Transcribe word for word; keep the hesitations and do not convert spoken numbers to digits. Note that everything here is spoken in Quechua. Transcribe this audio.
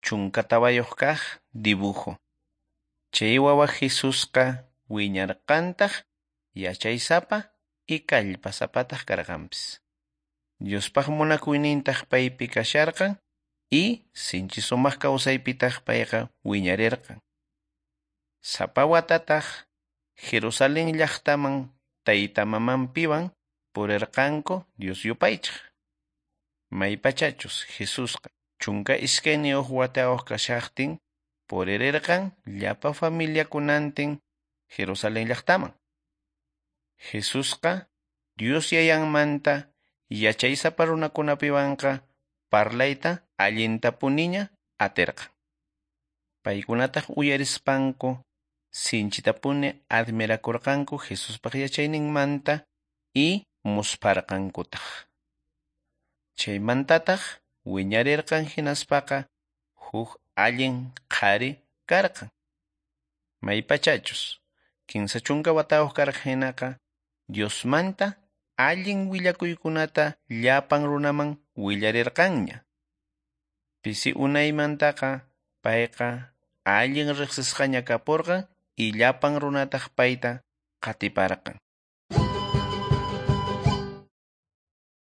Chunka tawayuq kaq dibujo. Chay wawa Jesusqa wiñarqantaq yachaysapa y kallpasapataq karqanpis. Diospaq munakuynintaq paypi kasharqan y sinchi sumaq kawsaypitaq payqa wiñarirqan. Sapa watataq Jerusalén llaqtaman tayta mamanpiwan purirqanku Dios yupaychaq. Maypachachus Jesusqa chunka iskayniyuq watayuq kashaqtin puririrqan llapa familiakunantin Jerusalén llaqtaman. Jesusqa Dios yayanmanta yachaysapa runakunapiwanqa parlayta allintapuniña atirqan. Paykunataq uyarispanku sinchitapuni admirakurqanku Jesuspaq yachayninmanta y muspharqankutaq. Chaymantataq wiñarirqan hinaspaqa huk allin qhari karqan. Maypachachus kinsa chunka watayuq karqan hinaqa Diosmanta allin willakuykunata llapan runaman willarirqanña. Pisi unaymantaqa payqa allin riqsisqaña kapurqan y llapan runataq payta qatiparqan.